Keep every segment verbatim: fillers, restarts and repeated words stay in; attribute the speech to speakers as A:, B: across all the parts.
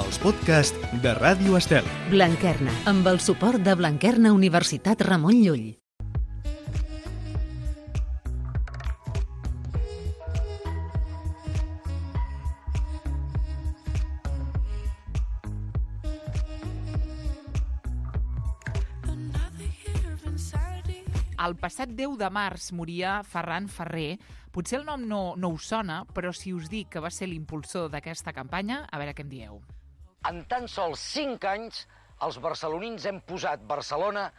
A: els podcasts de Ràdio Estel.
B: Blanquerna, amb el suport de Blanquerna Universitat Ramon Llull.
C: El passat deu de març moria Ferran Ferrer. Potser el nom no, no us sona, però si us dic que va ser l'impulsor d'aquesta campanya, a veure què em dieu.
D: En tan sols cinc anys, els barcelonins hem posat Barcelona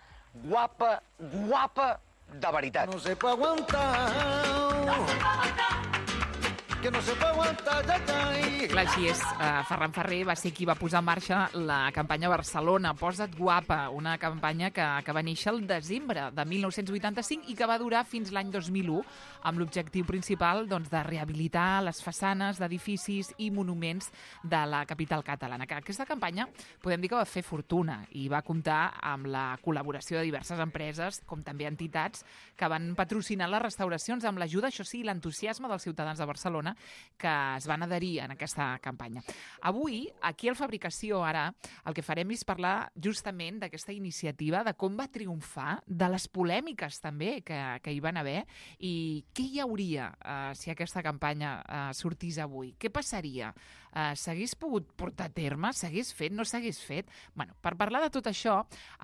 D: guapa, guapa de veritat.
E: No se puede aguantar. No se puede aguantar. Que no se puede aguantar, ja, ja.
C: Clar, així és. Uh, Ferran Ferrer va ser qui va posar en marxa la campanya Barcelona, Posa't guapa, una campanya que, que va néixer el desembre de mil nou-cents vuitanta-cinc i que va durar fins l'any dos mil u, amb l'objectiu principal doncs, de rehabilitar les façanes d'edificis i monuments de la capital catalana. Aquesta campanya podem dir que va fer fortuna i va comptar amb la col·laboració de diverses empreses, com també entitats, que van patrocinar les restauracions amb l'ajuda, això sí, l'entusiasme dels ciutadans de Barcelona, que es van adherir en aquesta campanya. Avui, aquí al Fabricació, ara, el que farem és parlar justament d'aquesta iniciativa, de com va triomfar, de les polèmiques també que, que hi van haver i què hi hauria eh, si aquesta campanya eh, sortís avui. Què passaria? Eh, s'hagués pogut portar a terme? S'hagués fet? No s'hagués fet? Bueno, per parlar de tot això,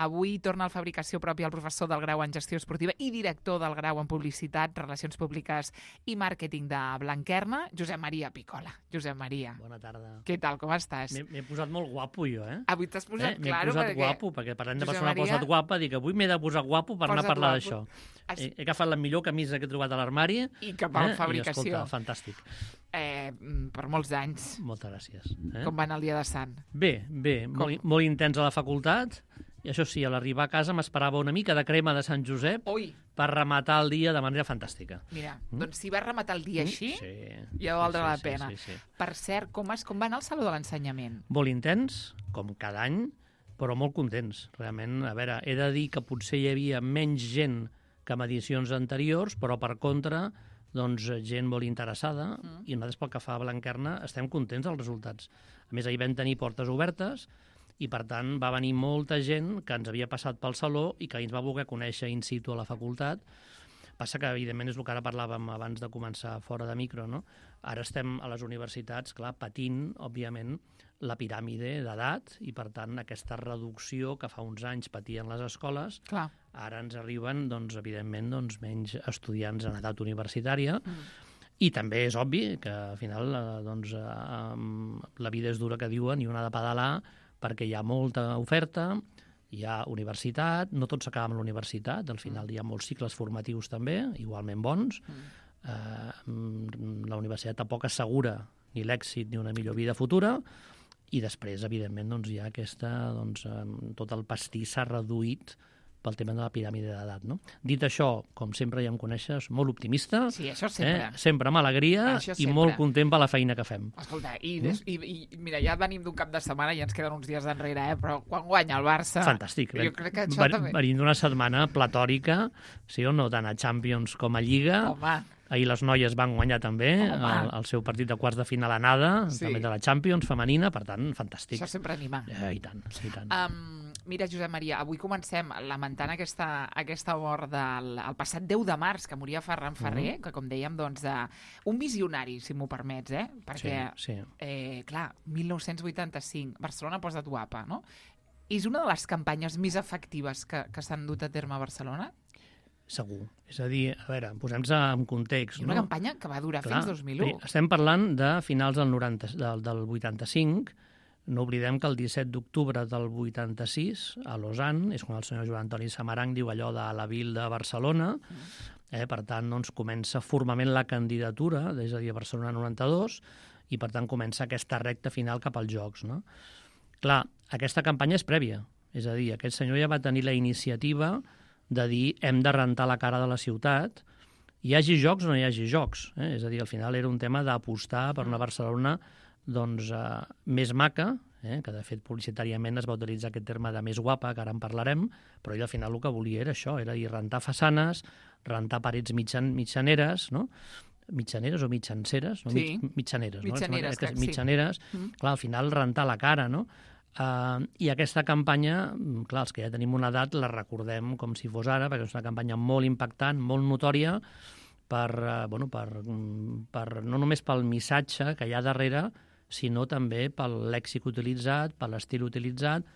C: avui torna al Fabricació propi el professor del grau en Gestió Esportiva i director del grau en Publicitat, Relacions Públiques i Màrqueting de Blanquerna, Josep Maria Picola. Josep Maria.
F: Bona tarda.
C: Què tal, com estàs?
F: M'he posat molt guapo jo, eh?
C: Avui t'has posat,
F: eh? M'he
C: claro,
F: posat
C: perquè...
F: guapo, perquè parlant de
C: Josep
F: persona
C: Maria...
F: posat guapa, dic, avui m'he de posar guapo per anar a parlar d'això.
C: Es...
F: He, he agafat la millor camisa que he trobat a l'armari.
C: I cap a la
F: eh?
C: Fabricació.
F: I, escolta, fantàstic.
C: Eh, per molts anys.
F: Moltes gràcies. Eh?
C: Com va anar el dia de Sant?
F: Bé, bé, molt, molt intens a la facultat. I això sí, a l'arribar a casa m'esperava una mica de crema de Sant Josep
C: Ui.
F: per rematar el dia de manera fantàstica.
C: Mira,
F: Mm?
C: doncs si vas rematar el dia així,
F: Sí.
C: ja valdrà
F: sí,
C: la
F: sí,
C: pena.
F: Sí, sí, sí.
C: Per cert, com, es, com va anar el Saló de l'Ensenyament?
F: Molt intens, com cada any, però molt contents. Realment, a veure, he de dir que potser hi havia menys gent que en edicions anteriors, però per contra, doncs, gent molt interessada, mm. i nosaltres pel que fa a Blanquerna estem contents dels resultats. A més, ahir vam tenir portes obertes, i per tant va venir molta gent que ens havia passat pel saló i que ens va voler conèixer in situ a la facultat. Passa que, evidentment, és el que ara parlàvem abans de començar fora de micro, no? Ara estem a les universitats, clar, patint, òbviament, la piràmide d'edat i, per tant, aquesta reducció que fa uns anys patien les escoles,
C: Clar.
F: ara ens arriben, doncs, evidentment, doncs, menys estudiants en edat universitària. Mm. I també és obvi que, al final, eh, doncs, eh, la vida és dura, que diuen, i una ha de pedalar, perquè hi ha molta oferta, hi ha universitat, no tot s'acaba amb la universitat, al final hi ha molts cicles formatius també, igualment bons. Mm. Eh, la universitat tampoc assegura ni l'èxit ni una millor vida futura, i després, evidentment, doncs, hi ha aquesta, doncs, tot el pastís s'ha reduït pel tema de la piràmide d'edat, no? Dit això, com sempre ja em coneixes, molt optimista.
C: Sí, això sempre.
F: Eh? Sempre amb alegria i molt content per la feina que fem.
C: Escolta, i, des, mm? i, i mira, ja venim d'un cap de setmana i ens queden uns dies enrere, eh? Però quan guanya el Barça...
F: Fantàstic.
C: Jo crec que això
F: Ven,
C: també...
F: Venim d'una setmana platòrica, sí o no, tant a Champions com a Lliga.
C: Home.
F: Ahir les noies van guanyar també el, el seu partit de quarts de final anada, sí. també de la Champions femenina, per tant, fantàstic.
C: Això sempre anima.
F: Eh, I tant, i tant.
C: Um, mira, Josep Maria, avui comencem lamentant aquesta, aquesta mort del el passat deu de març, que moria Ferran Ferrer, mm. que, com dèiem, doncs, uh, un visionari, si m'ho permets, eh? Perquè,
F: sí, sí.
C: Eh, clar, mil nou-cents vuitanta-cinc, Barcelona posa't guapa, no? És una de les campanyes més efectives que, que s'han dut a terme a Barcelona?
F: Segur. És a dir, a veure, posem-nos en context.
C: I una
F: no?
C: campanya que va durar
F: Clar,
C: fins dos mil u.
F: Estem parlant de finals del, noranta, del, del vuitanta-cinc. No oblidem que el disset d'octubre del vuitanta-sis, a Lausanne, és quan el senyor Joan Antoni Samaranch diu allò de la vil de Barcelona. Eh, per tant, doncs, comença formalment la candidatura, és a dir, a Barcelona noranta-dos, i per tant comença aquesta recta final cap als Jocs. No? Clar, aquesta campanya és prèvia. És a dir, aquest senyor ja va tenir la iniciativa de dir hem de rentar la cara de la ciutat, hi hagi jocs o no hi hagi jocs. Eh? És a dir, al final era un tema d'apostar per una Barcelona doncs, eh, més maca, eh? que de fet publicitàriament es va utilitzar aquest terme de més guapa, que ara en parlarem, però ell al final el que volia era això, era dir, rentar façanes, rentar parets mitjan, mitjaneres, no? mitjaneres o mitjanceres, no?
C: Sí.
F: Mig, mitjaneres,
C: Mitjaneres,
F: no?
C: crec, sí.
F: Mitjaneres, mm. clar, al final rentar la cara, no? Uh, I aquesta campanya, clar, els que ja tenim una edat la recordem com si fos ara, perquè és una campanya molt impactant, molt notòria, per, uh, bueno, per, per, no només pel missatge que hi ha darrere, sinó també pel lèxic utilitzat, per l'estil utilitzat.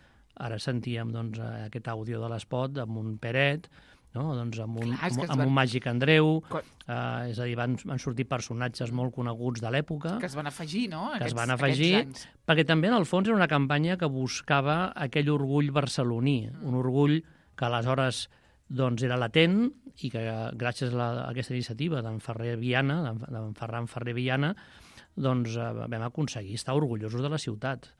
F: Ara sentíem doncs, aquest àudio de l'espot amb un Peret, no? doncs amb un,
C: Clar,
F: amb,
C: van...
F: amb un Màgic Andreu,
C: Quan...
F: uh, és a dir, van, van sortir personatges molt coneguts de l'època.
C: Que es van afegir, no?
F: Que
C: Aquests,
F: es van afegir, perquè també en el fons era una campanya que buscava aquell orgull barceloní, mm. un orgull que aleshores doncs, era latent i que gràcies a, la, a aquesta iniciativa d'en Ferrer Viana, d'en Ferran Ferrer Viana, doncs uh, vam aconseguir estar orgullosos de la ciutat.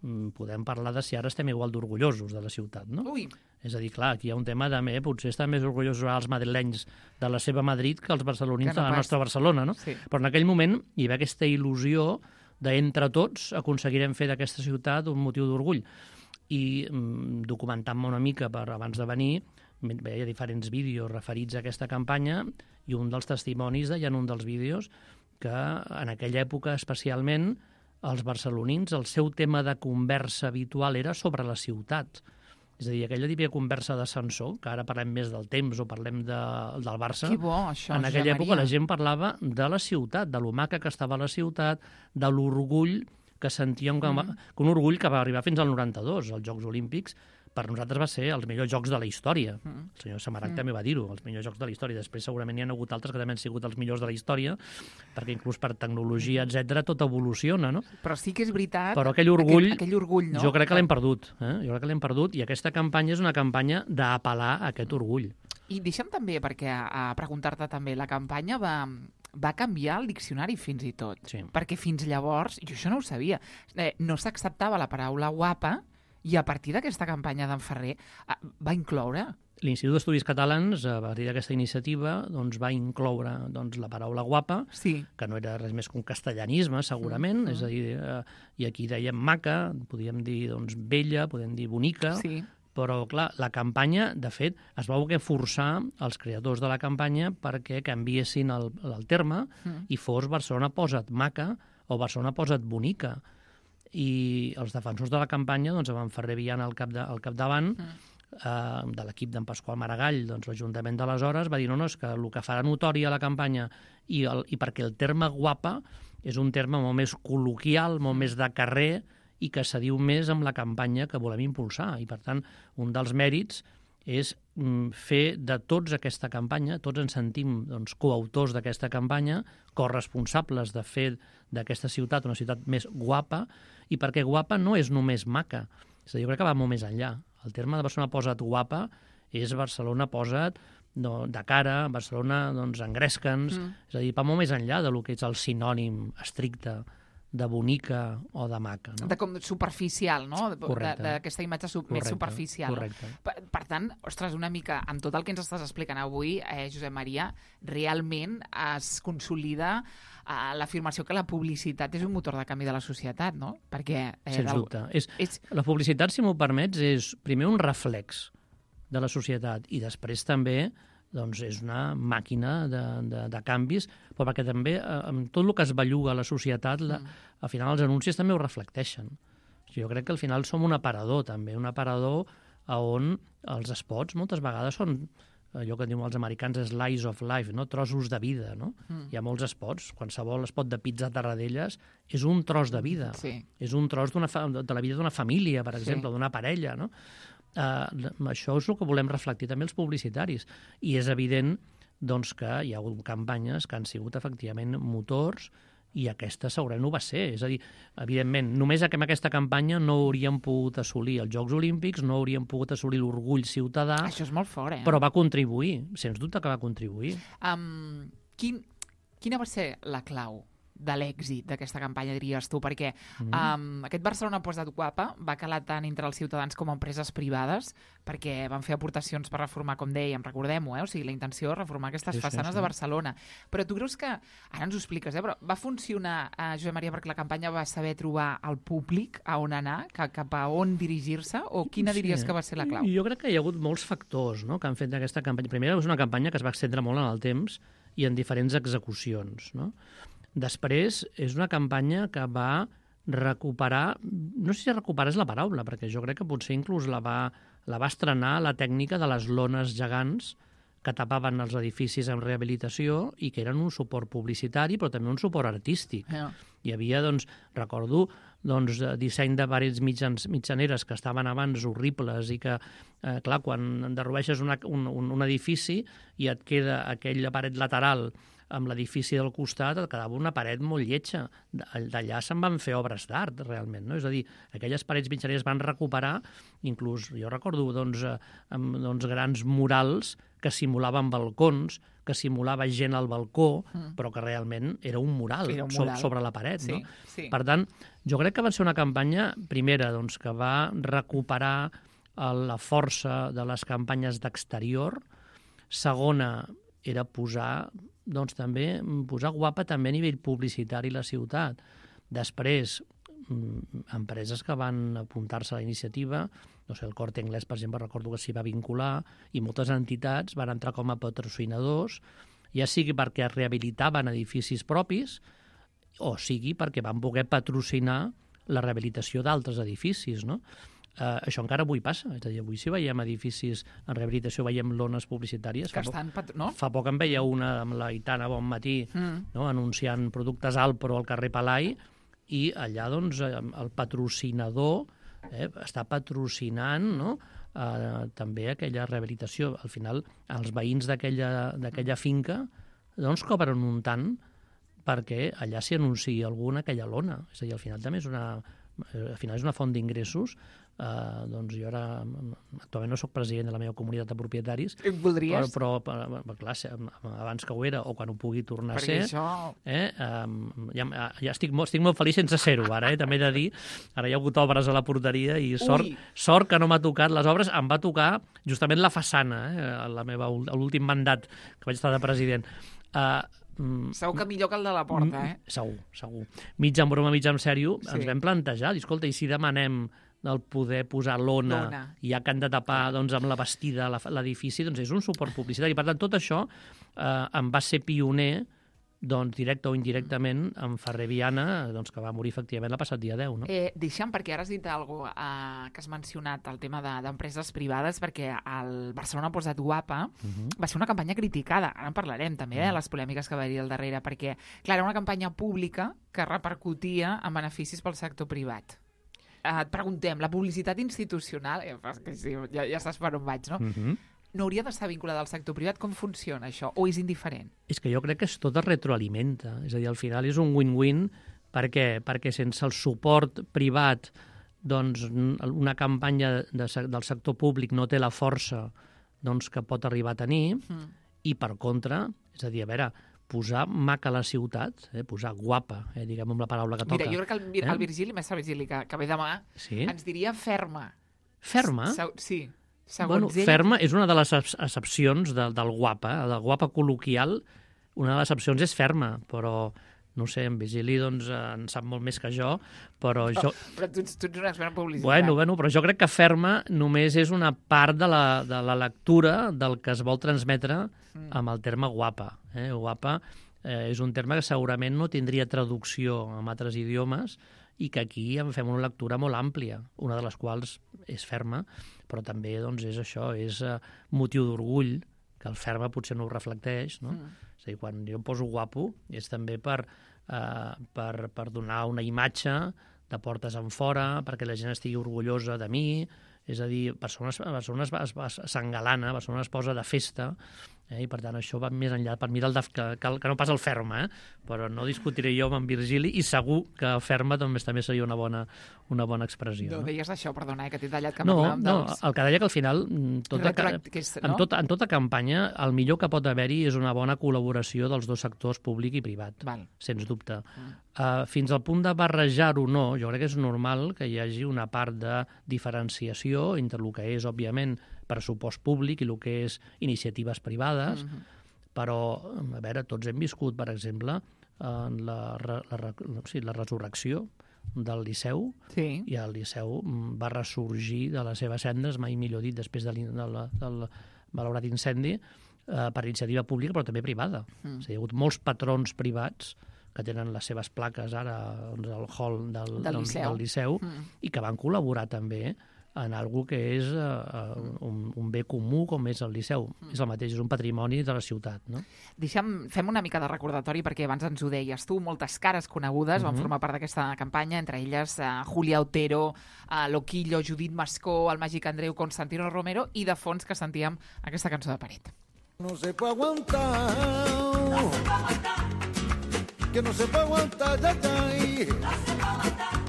F: Mm, podem parlar de si ara estem igual d'orgullosos de la ciutat, no?
C: Ui.
F: És a dir, clar, aquí hi ha un tema de eh, potser estan més orgullosos els madrilenys de la seva Madrid que els barcelonins no de la pas. nostra Barcelona, no?
C: Sí.
F: Però en aquell moment hi va aquesta il·lusió d'entre tots aconseguirem fer d'aquesta ciutat un motiu d'orgull. I mm, documentant-me una mica per abans de venir, veia diferents vídeos referits a aquesta campanya i un dels testimonis deia en un dels vídeos que en aquella època especialment els barcelonins, el seu tema de conversa habitual era sobre la ciutat. És a dir, aquella típica conversa d'ascensor, que ara parlem més del temps o parlem de, del Barça.
C: Que bo, això,
F: en aquella
C: Josep
F: època
C: Maria.
F: la gent parlava de la ciutat, de lo maca que estava la ciutat, de l'orgull que sentíem, que, mm. que un orgull que va arribar fins al noranta-dos, als Jocs Olímpics, per nosaltres va ser els millors jocs de la història. Mm. El senyor Samaranch mm. també va dir-ho, els millors jocs de la història. Després segurament hi ha hagut altres que també han sigut els millors de la història, perquè inclús per tecnologia, etcètera, tot evoluciona, no?
C: Però sí que és veritat...
F: Però aquell orgull,
C: aquell, aquell orgull no?
F: jo crec que l'hem perdut. Eh? Jo crec que l'hem perdut i aquesta campanya és una campanya d'apel·lar a aquest orgull.
C: I deixa'm també, perquè a preguntar-te també, la campanya va... va canviar el diccionari fins i tot.
F: Sí.
C: Perquè fins llavors, jo això no ho sabia, eh, no s'acceptava la paraula guapa i a partir d'aquesta campanya d'en Ferrer eh, va incloure...
F: L'Institut d'Estudis Catalans, a partir d'aquesta iniciativa, doncs, va incloure doncs, la paraula guapa,
C: sí.
F: que no era res més que un castellanisme, segurament, mm-hmm. és a dir, eh, i aquí dèiem maca, podíem dir doncs, bella, podem dir bonica,
C: sí.
F: però, clar, la campanya, de fet, es va voler forçar els creadors de la campanya perquè canviessin el, el terme mm. i fos Barcelona posa't maca o Barcelona posa't bonica. I els defensors de la campanya doncs, van Ferrer Viana al, cap de, al capdavant, mm. eh, de l'equip d'en Pasqual Maragall, doncs, l'Ajuntament d'aleshores va dir no, no, és que el que farà notòria la campanya i, el, i perquè el terme guapa és un terme molt més col·loquial, molt mm. més de carrer, i que s'adiu més amb la campanya que volem impulsar. I, per tant, un dels mèrits és mm, fer de tots aquesta campanya, tots ens sentim doncs, coautors d'aquesta campanya, corresponsables de fer d'aquesta ciutat una ciutat més guapa, i perquè guapa no és només maca. És a dir, jo crec que va molt més enllà. El terme de Barcelona posa't guapa és Barcelona posa't no, de cara, Barcelona doncs, engresca'ns, mm. és a dir, va molt més enllà de lo que és el sinònim estricte de bonica o de maca. No?
C: De com superficial, no?
F: Correcte.
C: D'aquesta imatge su
F: correcte,
C: més superficial.
F: Correcte.
C: Per, per tant, ostres, una mica, amb tot el que ens estàs explicant avui, eh, Josep Maria, realment es consolida eh, l'afirmació que la publicitat és un motor de canvi de la societat, no? Perquè... Eh,
F: Sens dubte. És, és... La publicitat, si m'ho permets, és primer un reflex de la societat i després també doncs és una màquina de, de, de canvis, però perquè també eh, amb tot el que es belluga a la societat, la, mm. al final els anuncis també ho reflecteixen. Jo crec que al final som un aparador també, un aparador on els spots moltes vegades són allò que diuen els americans slice of life, no? Trossos de vida. No? Mm. Hi ha molts spots, qualsevol spot de pizza a Tarradellas és un tros de vida,
C: sí.
F: és un tros de la vida d'una família, per exemple,
C: sí.
F: d'una parella, no? Uh, això és el que volem reflectir també els publicitaris i és evident doncs, que hi ha hagut campanyes que han sigut efectivament motors i aquesta segurament ho va ser, és a dir, evidentment només amb aquesta campanya no hauríem pogut assolir els Jocs Olímpics, no hauríem pogut assolir l'orgull ciutadà.
C: Això és molt fort, eh?
F: Però va contribuir, sens dubte que va contribuir.
C: Um, quin, quina va ser la clau de l'èxit d'aquesta campanya, diries tu? Perquè mm. um, aquest Barcelona posa't guapa va calar tant entre els ciutadans com empreses privades, perquè van fer aportacions per reformar, com dèiem, recordem-ho, eh? O sigui, la intenció és reformar aquestes sí, façanes sí, sí. de Barcelona. Però tu creus que, ara ens ho expliques, eh? Però va funcionar, eh, Josep Maria, perquè la campanya va saber trobar el públic a on anar, cap a on dirigir-se, o quina diries sí. que va ser la clau?
F: Jo crec que hi ha hagut molts factors no? que han fet d'aquesta campanya. Primer, és una campanya que es va extendre molt en el temps i en diferents execucions, no? Després, és una campanya que va recuperar, no sé si recuperar és la paraula, perquè jo crec que potser inclús la va, la va estrenar la tècnica de les lones gegants que tapaven els edificis en rehabilitació i que eren un suport publicitari, però també un suport artístic.
C: Yeah.
F: Hi havia, doncs, recordo, doncs, disseny de parets mitjans, mitjaneres que estaven abans horribles i que, eh, clar, quan enderrueixes una, un, un, un edifici i et queda aquella paret lateral amb l'edifici del costat, et quedava una paret molt lletja. D'allà se'n van fer obres d'art, realment, no? És a dir, aquelles parets mitjaneres van recuperar, inclús, jo recordo, doncs, amb, doncs, grans murals que simulaven balcons, que simulava gent al balcó, mm. però que realment era un mural, era un mural. So, sobre la paret,
C: sí,
F: no?
C: Sí.
F: Per tant, jo crec que va ser una campanya, primera, doncs, que va recuperar la força de les campanyes d'exterior. Segona, era posar, doncs, també, posar guapa també a nivell publicitari la ciutat. Després, empreses que van apuntar-se a la iniciativa, no sé, el Corte Inglés, per exemple, recordo que s'hi va vincular, i moltes entitats van entrar com a patrocinadors, ja sigui perquè rehabilitaven edificis propis, o sigui perquè van poder patrocinar la rehabilitació d'altres edificis, no? Uh, això encara avui passa, és a dir, avui si veiem edificis en rehabilitació, veiem lones publicitàries.
C: Que
F: fa,
C: estan,
F: poc,
C: no?
F: fa poc en veia una amb la Itana Bon Matí, mm. no? Anunciant productes Alpro al carrer Palai, i allà, doncs, el patrocinador eh, està patrocinant, no? uh, també aquella rehabilitació. Al final, els veïns d'aquella finca doncs cobren un tant perquè allà s'hi anunciï alguna aquella lona. És a dir, al final també és una, al final és una font d'ingressos. Uh, doncs jo ara, actualment no soc president de la meva comunitat de propietaris.
C: Voldries?
F: Però, però, però clar, abans que ho era, o quan ho pugui tornar
C: perquè
F: a ser...
C: Això...
F: Eh, um, ja ja estic, molt, estic molt feliç sense ser-ho, ara, eh, també he de dir. Ara hi ha hagut obres a la porteria i sort, sort que no m'ha tocat les obres. Em va tocar justament la façana, eh, la meva, l'últim mandat que vaig estar de president. Uh,
C: Segur que millor que el de la porta, eh?
F: Segur, segur. Mig en broma, mig en sèrio, sí. Ens vam plantejar, i escolta, i si demanem del poder posar lona, lona. I ja que han de tapar doncs, amb la bastida l'edifici, doncs és un suport publicitari. Per tant, tot això eh, em va ser pioner, doncs, directe o indirectament, en Ferrer Viana, doncs, que va morir efectivament el passat dia deu. No?
C: Eh, deixa'm, perquè ara has dit alguna cosa eh, que has mencionat, el tema d'empreses de, privades, perquè el Barcelona Posa't Guapa uh -huh. va ser una campanya criticada. Ara en parlarem també, eh, de les polèmiques que va haver-hi al darrere, perquè, clar, era una campanya pública que repercutia en beneficis pel sector privat. Et preguntem, la publicitat institucional, eh, que sí, ja, ja saps per on vaig, no? Uh-huh. No hauria d'estar vinculada al sector privat? Com funciona això? O és indiferent?
F: És que jo crec que es tot es retroalimenta. És a dir, al final és un win-win. Per què? Perquè sense el suport privat, doncs, una campanya de, del sector públic no té la força doncs, que pot arribar a tenir, uh-huh. I per contra, és a dir, a veure, posar maca a la ciutat, eh, posar guapa, eh, diguem amb la paraula que toca.
C: Mira, jo crec que el, el Virgili, mestre Virgili, que, que ve demà, sí? Ens diria ferma.
F: Ferma?
C: Se, sí. Segons
F: bueno,
C: ell...
F: Ferma és una de les accepcions de, del guapa, del guapa col·loquial, una de les accepcions és ferma, però no sé, en Virgili doncs, en sap molt més que jo, però
C: oh,
F: jo...
C: Però tu, tu ets un expert en publicitat.
F: Bueno, bueno, però jo crec que ferma només és una part de la, de la lectura del que es vol transmetre mm. amb el terme guapa. Eh? Guapa eh, és un terme que segurament no tindria traducció en altres idiomes i que aquí en fem una lectura molt àmplia, una de les quals és ferma, però també doncs, és això, és uh, motiu d'orgull, que el ferma potser no ho reflecteix, no? Mm. És a dir, quan jo em poso guapo és també per, uh, per, per donar una imatge de portes en fora, perquè la gent estigui orgullosa de mi, és a dir, Barcelona, Barcelona s'engalana, Barcelona es posa de festa, eh? I per tant això va més enllà, per mi del de, que, que, que no pas el ferma, eh? Però no discutiré jo amb en Virgili i segur que ferma doncs, també seria una bona, una bona expressió.
C: No,
F: no?
C: deies això, perdona, eh, que t'he tallat que
F: no,
C: parlàvem
F: no,
C: dels...
F: el que deia que al final tota, que és, no? en, tota, en tota campanya el millor que pot haver-hi és una bona col·laboració dels dos sectors, públic i privat, Val. Sens dubte. Mm. Uh, fins al punt de barrejar-ho no, jo crec que és normal que hi hagi una part de diferenciació entre el que és, òbviament, pressupost públic i el que és iniciatives privades, mm-hmm. Però, a veure, tots hem viscut, per exemple, en la, la, la, sí, la resurrecció del Liceu,
C: sí.
F: I el Liceu va ressorgir de les seves cendres, mai millor dit, després de del, del malaurat incendi, eh, per iniciativa pública, però també privada. Mm. O sigui, hi ha hagut molts patrons privats que tenen les seves plaques ara doncs, al hall del,
C: del Liceu,
F: del liceu
C: mm.
F: i que van col·laborar també en algo que és uh, un, un bé comú com és el Liceu. Mm. És el mateix, és un patrimoni de la ciutat. No?
C: Deixa'm, fem una mica de recordatori, perquè abans ens ho deies tu, moltes cares conegudes mm-hmm. van formar part d'aquesta campanya, entre elles uh, Julia Otero, uh, Loquillo, Judit Mascó, el Màgic Andreu, Constantino Romero, i de fons que sentíem aquesta cançó de Paret.
E: No se puede aguantar, no se puede aguantar, que no se puede aguantar, ya, ya, no se puede aguantar.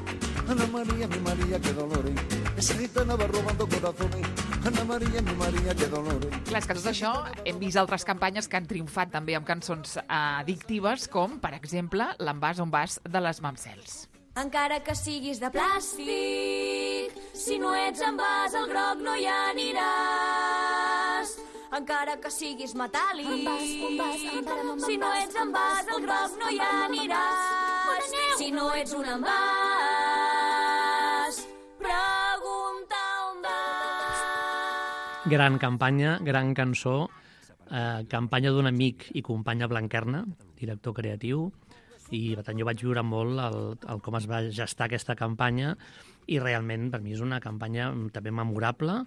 E: Ana María, mi María, qué dolores. Esa gitana va robando corazones. Ana María, mi María, qué dolores.
C: Clar, és que tot això hem vist altres campanyes que han triomfat també amb cançons eh, addictives, com, per exemple, l'Envàs on vas de les Mamsels.
G: Encara que siguis de plàstic, si no ets envàs al groc no hi aniràs. Encara que siguis metàl·lic, envàs, envàs, envàs, si no ets envàs al groc no hi aniràs. Si no ets un envàs, pregunta on vas.
F: Gran campanya, gran cançó, eh, campanya d'un amic i companya Blanquerna, director creatiu, i per tant jo vaig viure molt el, el com es va gestar aquesta campanya i realment per mi és una campanya també memorable.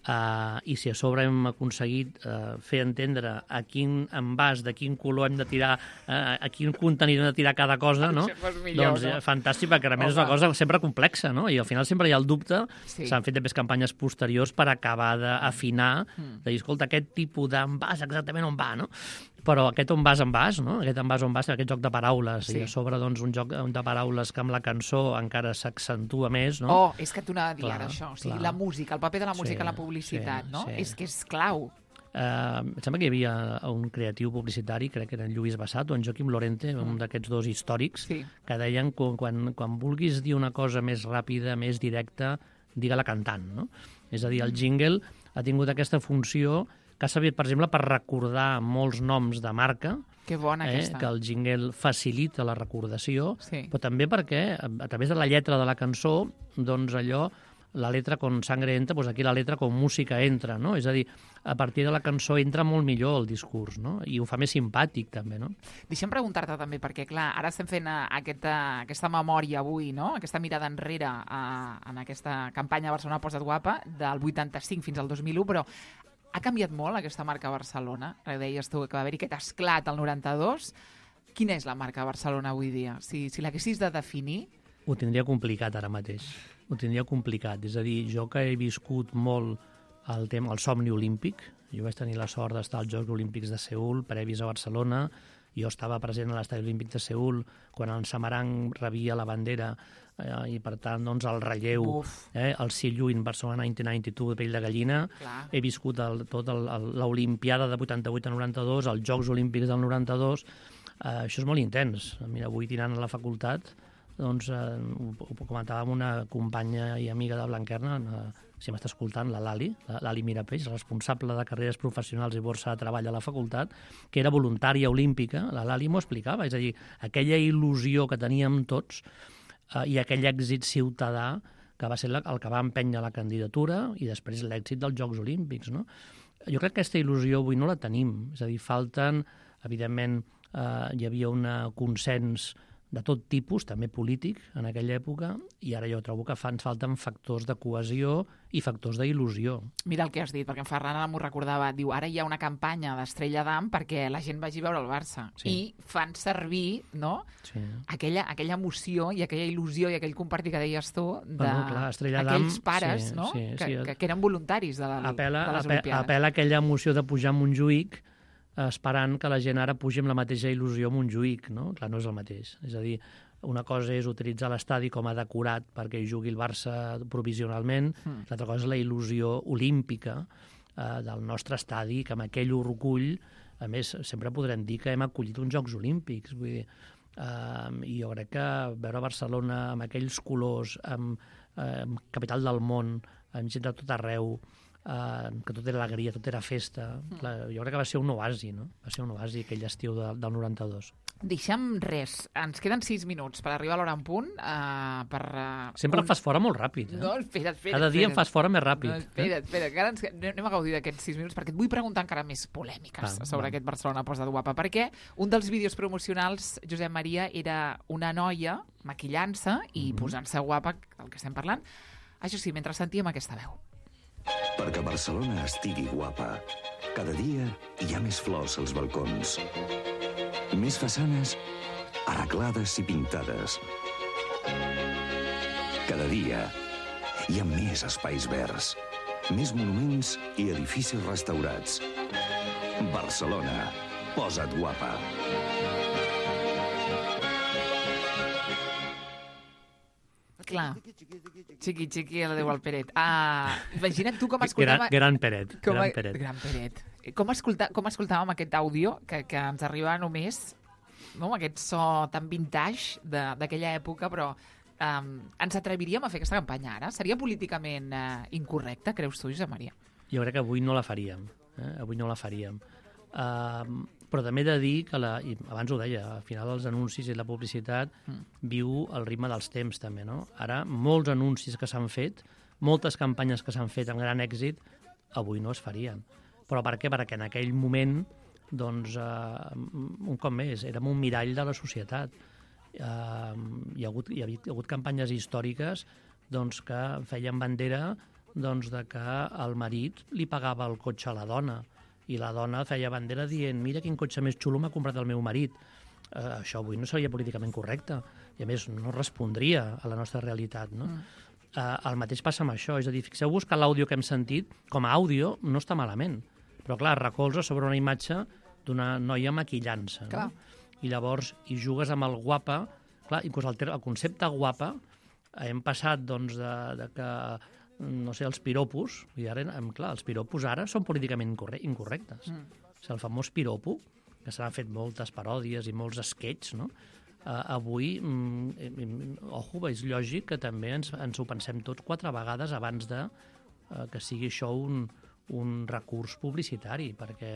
F: Uh, i si a sobre hem aconseguit uh, fer entendre a quin envàs, de quin color hem de tirar, uh, a quin contenidor hem de tirar cada cosa, no?
C: Millor,
F: doncs
C: no?
F: Fantàstic, perquè realment és una cosa sempre complexa, no? I al final sempre hi ha el dubte,
C: sí.
F: S'han fet després campanyes posteriors per acabar d'afinar, mm. de dir, escolta, aquest tipus d'envàs exactament on va, no? Però aquest on vas en vas, no? Aquest envàs on vas, aquest joc de paraules, sí. I a sobre doncs, un joc de paraules que amb la cançó encara s'accentua més, no?
C: Oh, és que t'ho anava a dir
F: clar,
C: ara, això. O sigui,
F: clar.
C: La música, el paper de la música
F: sí,
C: en la publicitat,
F: sí,
C: no?
F: sí.
C: És que és clau.
F: Uh, em sembla que hi havia un creatiu publicitari, crec que era en Lluís Bassat o en Joaquim Lorente, mm. un d'aquests dos històrics,
C: sí.
F: que deien que quan, quan vulguis dir una cosa més ràpida, més directa, digue-la cantant, no? És a dir, el jingle ha tingut aquesta funció que ha servit, per exemple, per recordar molts noms de marca,
C: que bona
F: eh,
C: aquesta.
F: Que el jingle facilita la recordació,
C: sí.
F: Però també perquè, a través de la lletra de la cançó, doncs allò, la letra con sangre entra, doncs aquí la letra con música entra, no? És a dir, a partir de la cançó entra molt millor el discurs, no? I ho fa més simpàtic, també, no?
C: Deixa'm preguntar-te també, perquè, clar, ara estem fent aquesta, aquesta memòria avui, no? Aquesta mirada enrere a, en aquesta campanya Barcelona Posa't Guapa, del vuitanta-cinc fins al dos mil u, però ha canviat molt aquesta marca Barcelona? Deies tu que va haver-hi aquest esclat al noranta-dos. Quina és la marca Barcelona avui dia? Si, si l'haguessis de definir...
F: Ho tindria complicat ara mateix. Ho tindria complicat. És a dir, jo que he viscut molt el tema, el somni olímpic, jo vaig tenir la sort d'estar als Jocs Olímpics de Seül, previs a Barcelona, jo estava present a l'Estadi Olímpic de Seül quan el Samarang rebia la bandera eh, i, per tant, doncs, el relleu, eh, el See You in Barcelona mil nou-cents noranta-dos de pell de gallina.
C: Clar.
F: He viscut el, tot l'Olimpiada de vuitanta-vuit a noranta-dos, els Jocs Olímpics del noranta-dos. Eh, això és molt intens. Mira, avui tirant a la facultat, doncs, eh, ho, ho comentava amb una companya i amiga de Blanquerna, eh, si m'està escoltant, la Lali, la Lali Mirapeix, responsable de carreres professionals i borsa de treball a la facultat, que era voluntària olímpica. La Lali m'ho explicava, és a dir, aquella il·lusió que teníem tots eh, i aquell èxit ciutadà que va ser el que va empènyer la candidatura i després l'èxit dels Jocs Olímpics, no? Jo crec que aquesta il·lusió avui no la tenim, és a dir, falten, evidentment, eh, hi havia un consens de tot tipus, també polític, en aquella època, i ara jo trobo que fa, ens falten factors de cohesió i factors d'il·lusió.
C: Mira el que has dit, perquè en Ferran ara m'ho recordava, diu, ara hi ha una campanya d'Estrella d'Am perquè la gent vagi a veure el Barça, sí. I fan servir, no?, sí. aquella, aquella emoció i aquella il·lusió i aquell compartir que deies tu d'aquells pares,
F: sí,
C: no?,
F: sí,
C: que,
F: sí.
C: que, que eren voluntaris de, la,
F: apela,
C: de les
F: apela,
C: Olimpiades.
F: Apela aquella emoció de pujar a Montjuïc esperant que la gent ara pugi amb la mateixa il·lusió a Montjuïc, no? Clar, no és el mateix. És a dir, una cosa és utilitzar l'estadi com a decorat perquè hi jugui el Barça provisionalment, mm. L'altra cosa és la il·lusió olímpica eh, del nostre estadi, que amb aquell orgull, a més, sempre podrem dir que hem acollit uns Jocs Olímpics. Vull dir, eh, i jo crec que veure Barcelona amb aquells colors, amb, eh, amb capital del món, amb gent de tot arreu, Uh, que tot era alegria, tot era festa. Mm. La, jo crec que va ser un oasi, no? Va ser un oasi aquell estiu de, del noranta-dos.
C: Deixa'm res. Ens queden sis minuts per arribar a l'hora en punt. Uh, per, uh,
F: Sempre
C: un...
F: em fas fora molt ràpid. Eh?
C: No, espera't, espera't.
F: Cada dia
C: espera't.
F: em fas fora més ràpid.
C: No, espera't, espera't. Encara ens... anem a gaudir d'aquests sis minuts perquè et vull preguntar encara més polèmiques
F: Ah,
C: sobre
F: va.
C: aquest Barcelona Posa't Guapa. Perquè un dels vídeos promocionals, Josep Maria, era una noia maquillant-se i
F: Mhm.
C: posant-se guapa, el que estem parlant. Això sí, mentre sentíem aquesta veu.
H: Perquè Barcelona estigui guapa, cada dia hi ha més flors als balcons. Més façanes arreglades i pintades. Cada dia hi ha més espais verds, més monuments i edificis restaurats. Barcelona, posa't guapa.
C: Clar, xiqui, xiqui, la Déu al Peret. Ah, imagina't tu com escoltàvem...
F: Gran, gran Peret.
C: Com a...
F: Gran Peret.
C: Gran Peret. Com, escolta... com escoltàvem aquest àudio que, que ens arriba només, no? Aquest so tan vintage de- d'aquella època, però um, ens atreviríem a fer aquesta campanya ara? Seria políticament uh, incorrecte, creus tu, Josep Maria?
F: Jo crec que avui no la faríem. Eh? Avui no la faríem. Uh, però també he de dir que, la, i abans ho deia, al final els anuncis i la publicitat mm. viu el ritme dels temps també, no? Ara, molts anuncis que s'han fet, moltes campanyes que s'han fet amb gran èxit, avui no es farien. Però per què? Perquè en aquell moment, doncs, uh, un cop més, érem un mirall de la societat. Uh, hi, ha hagut, hi ha hagut campanyes històriques doncs, que feien bandera doncs, de que el marit li pagava el cotxe a la dona i la dona feia bandera dient mira quin cotxe més xulo m'ha comprat el meu marit. Uh, això avui no seria políticament correcte i a més no respondria a la nostra realitat, no? Mm. Uh, el mateix passa amb això, és a dir, fixeu-vos que l'àudio que hem sentit com a àudio no està malament, però clar, recolza sobre una imatge d'una noia maquillant-se, no? I llavors hi jugues amb el guapa, clar, inclús el, el concepte guapa hem passat doncs de, de que no sé, els piropos, i ara, clar, els piropos ara són políticament incorrectes. Mm. O sigui, el famós piropo, que s'han fet moltes paròdies i molts esquets, no? Uh, avui, mm, ojo, és lògic que també ens, ens ho pensem tots quatre vegades abans de uh, que sigui això un, un recurs publicitari, perquè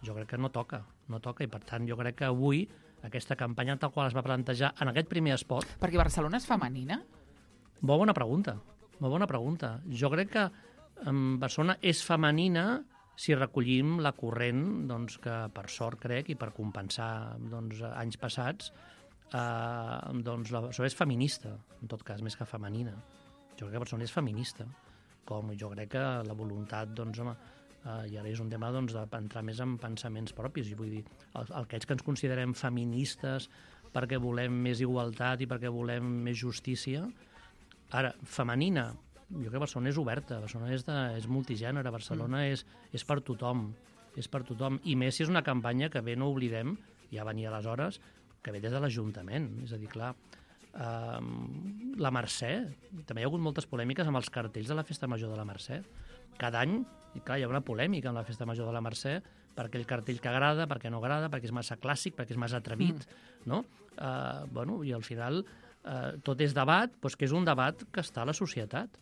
F: jo crec que no toca, no toca, i per tant jo crec que avui aquesta campanya tal qual es va plantejar en aquest primer espot...
C: Perquè Barcelona és femenina?
F: Molt bona pregunta. Molt bona pregunta. Jo crec que um, Barcelona és femenina si recollim la corrent doncs, que, per sort, crec, i per compensar doncs, anys passats, eh, doncs, la Barcelona és feminista, en tot cas, més que femenina. Jo crec que Barcelona és feminista, com jo crec que la voluntat, doncs, home, eh, i ara és un tema doncs, d'entrar més en pensaments propis. I vull dir, el, aquells que ens considerem feministes perquè volem més igualtat i perquè volem més justícia. Ara, femenina, jo crec que Barcelona és oberta, Barcelona és, de, és multigènere, Barcelona mm. és, és per tothom, és per tothom. I més si és una campanya que bé no oblidem, ja venia aleshores, que ve des de l'Ajuntament. És a dir, clar, eh, la Mercè, també hi ha hagut moltes polèmiques amb els cartells de la Festa Major de la Mercè. Cada any, i clar, hi ha una polèmica amb la Festa Major de la Mercè, per aquell cartell que agrada, perquè no agrada, perquè és massa clàssic, perquè és massa atrevit, mm. no? Eh, bueno, i al final... Uh, tot és debat, doncs que és un debat que està a la societat.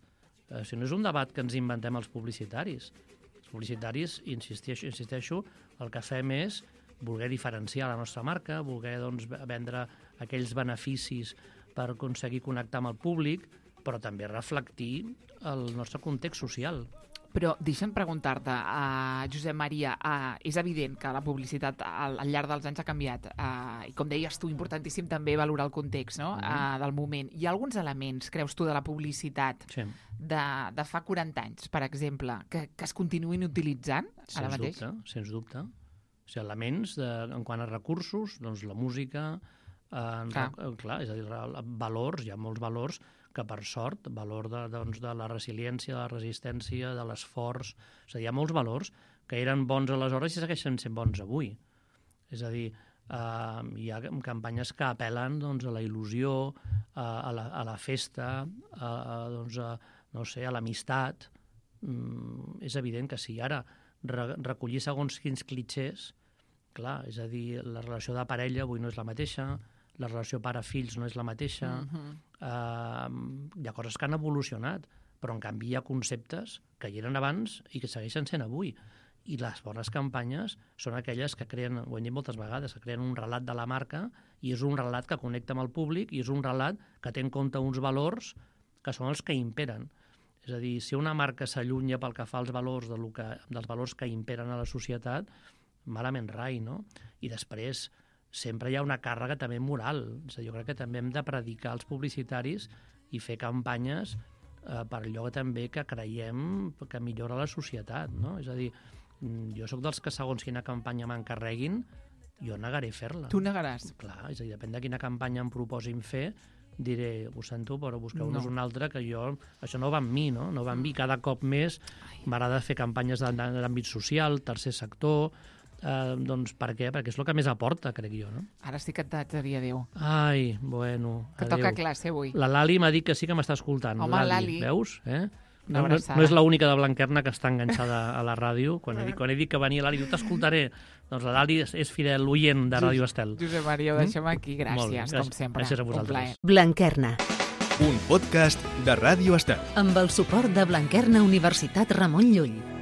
F: Uh, si no és un debat que ens inventem els publicitaris. Els publicitaris, insisteixo, insisteixo, el que fem és voler diferenciar la nostra marca, voler doncs, vendre aquells beneficis per aconseguir connectar amb el públic, però també reflectir el nostre context social.
C: Però deixa'm preguntar-te, uh, Josep Maria, uh, és evident que la publicitat al, al llarg dels anys ha canviat uh, i com deies tu, importantíssim també valorar el context, no? uh, del moment. Hi ha alguns elements, creus tu, de la publicitat
F: sí.
C: de, de fa quaranta anys, per exemple, que, que es continuïn utilitzant
F: sens
C: ara mateix?
F: Dubte, sens dubte. O sigui, elements de, en quant a recursos, doncs la música, eh, clar. clar, és a dir, valors, hi ha molts valors que per sort, valor de, doncs, de la resiliència, de la resistència, de l'esforç... És a dir, hi ha molts valors que eren bons aleshores i segueixen sent bons avui. És a dir, eh, hi ha campanyes que apel·len doncs, a la il·lusió, a, a, la, a la festa, a, a, doncs, a, no sé, a l'amistat. Mm, és evident que si ara re, recollir segons quins clitxers, clar, és a dir, la relació de parella avui no és la mateixa, la relació pare-fills no és la mateixa, uh-huh. uh, hi ha coses que han evolucionat, però en canvi hi ha conceptes que hi eren abans i que segueixen sent avui. I les bones campanyes són aquelles que creen, ho hem dit moltes vegades, que creen un relat de la marca i és un relat que connecta amb el públic i és un relat que té en compte uns valors que són els que imperen. És a dir, si una marca s'allunya pel que fa als valors de lo que, dels valors que imperen a la societat, malament rai, no? I després sempre hi ha una càrrega també moral. És a dir, jo crec que també hem de predicar als publicitaris i fer campanyes eh, per allò també que creiem que millora la societat, no? És a dir, jo sóc dels que segons quina campanya m'encarreguin, jo negaré fer-la.
C: Tu negaràs?
F: Clar, és a dir, depèn de quina campanya em proposin fer, diré, ho sento, però busqueu-nos no. una altra, que jo... Això no va amb mi, no? No va amb mi. Cada cop més m'agrada fer campanyes d'àmbit social, tercer sector... Eh, doncs per què? Perquè és el que més aporta, crec jo, no?
C: Ara sí que et diria adéu.
F: Ai, bueno,
C: que
F: adéu.
C: toca classe avui.
F: La Lali m'ha dit que sí que m'està escoltant.
C: Home, Lali.
F: Veus? Eh? No, no, no és l'única de Blanquerna que està enganxada a la ràdio. Quan he dit, quan he dit que venia Lali, diu, t'escoltaré. Doncs la Lali és, és fidel oient de Ràdio Estel.
C: Josep Maria, ho deixem aquí. Gràcies,
F: bé,
C: com sempre.
F: Gràcies a vosaltres.
B: Blanquerna.
A: Un podcast de Ràdio Estel.
B: Amb el suport de Blanquerna Universitat Ramon Llull.